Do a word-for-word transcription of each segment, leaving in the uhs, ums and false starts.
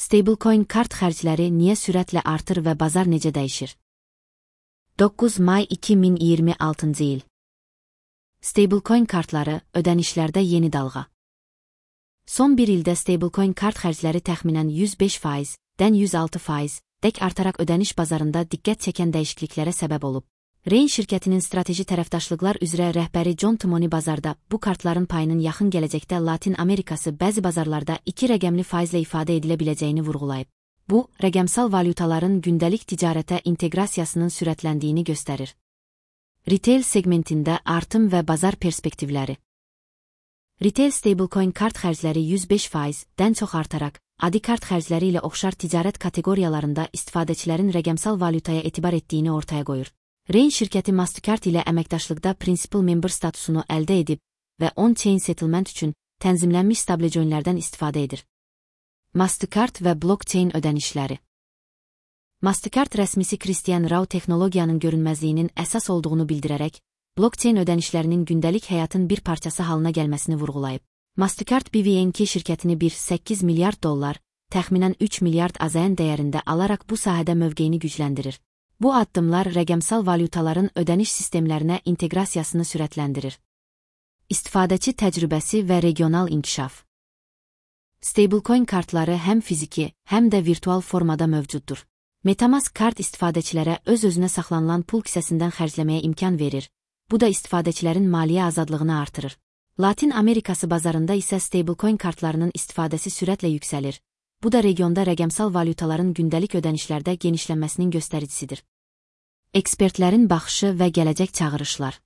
Stablecoin kart xərcləri niyə sürətlə artır və bazar necə dəyişir? doqquz may iki min iyirmi altıncı il. Stablecoin kartları ödənişlərdə yeni dalğa. Son bir ildə stablecoin kart xərcləri təxminən yüz beş faizdən yüz altı faiz dək artaraq ödəniş bazarında diqqət çəkən dəyişikliklərə səbəb olub. Rain şirkətinin strateji tərəfdaşlıqlar üzrə rəhbəri John Timoni bazarda bu kartların payının yaxın gələcəkdə Latin Amerikası bəzi bazarlarda iki rəqəmli faizlə ifadə edilə biləcəyini vurğulayıb. Bu, rəqəmsal valyutaların gündəlik ticarətə inteqrasiyasının sürətləndiyini göstərir. Retail segmentində artım və bazar perspektivləri. Retail stablecoin kart xərcləri yüz beş faizdən çox artaraq, adi kart xərcləri ilə oxşar ticarət kateqoriyalarında istifadəçilərin rəqəmsal valyutaya etibar etdiyini ortaya qoyur. Rain şirkəti Mastercard ilə əməkdaşlıqda Principal Member statusunu əldə edib və on-chain settlement üçün tənzimlənmiş stablecoinlərdən istifadə edir. Mastercard və blockchain ödənişləri. Mastercard rəsmisi Christian Rao texnologiyanın görünməzliyinin əsas olduğunu bildirərək, blockchain ödənişlərinin gündəlik həyatın bir parçası halına gəlməsini vurğulayıb. Mastercard B V N K şirkətini bir nöqtə səkkiz milyard dollar, təxminən üç milyard A Z N dəyərində alaraq bu sahədə mövqeyini gücləndirir. Bu addımlar rəqəmsal valyutaların ödəniş sistemlərinə inteqrasiyasını sürətləndirir. İstifadəçi təcrübəsi və regional inkişaf. Stablecoin kartları həm fiziki, həm də virtual formada mövcuddur. MetaMask kart istifadəçilərə öz-özünə saxlanılan pul kisəsindən xərcləməyə imkan verir. Bu da istifadəçilərin maliyyə azadlığını artırır. Latin Amerikası bazarında isə stablecoin kartlarının istifadəsi sürətlə yüksəlir. Bu da regionda rəqəmsal valyutaların gündəlik ödənişlərdə genişlənməsinin göstəricisidir. Ekspertlərin baxışı və gələcək çağırışlar.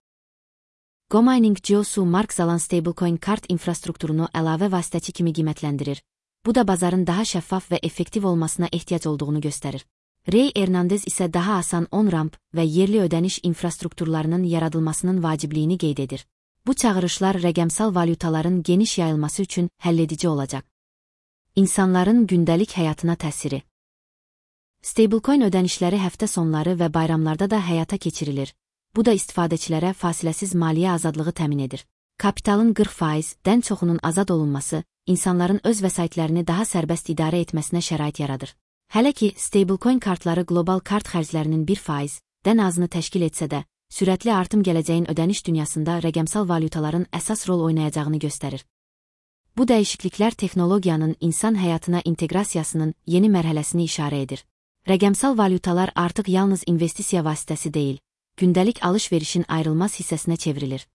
GoMining Geosu Mark Zalan stablecoin kart infrastrukturunu əlavə vasitəçi kimi qiymətləndirir. Bu da bazarın daha şəffaf və effektiv olmasına ehtiyac olduğunu göstərir. Ray Hernandez isə daha asan on-ramp və yerli ödəniş infrastrukturlarının yaradılmasının vacibliyini qeyd edir. Bu çağırışlar rəqəmsal valyutaların geniş yayılması üçün həlledici olacaq. İnsanların gündəlik həyatına təsiri. Stablecoin ödənişləri həftə sonları və bayramlarda da həyata keçirilir. Bu da istifadəçilərə fasiləsiz maliyyə azadlığı təmin edir. Kapitalın qırx faizdən çoxunun azad olunması, insanların öz vəsaitlərini daha sərbəst idarə etməsinə şərait yaradır. Hələ ki, stablecoin kartları qlobal kart xərclərinin bir faizdən azını təşkil etsə də, sürətli artım gələcəyin ödəniş dünyasında rəqəmsal valyutaların əsas rol oynayacağını göstərir. Bu dəyişikliklər texnologiyanın insan həyatına inteqrasiyasının yeni mərhələsini işarə edir. Rəqəmsal valyutalar artıq yalnız investisiya vasitəsi deyil, gündəlik alış-verişin ayrılmaz hissəsinə çevrilir.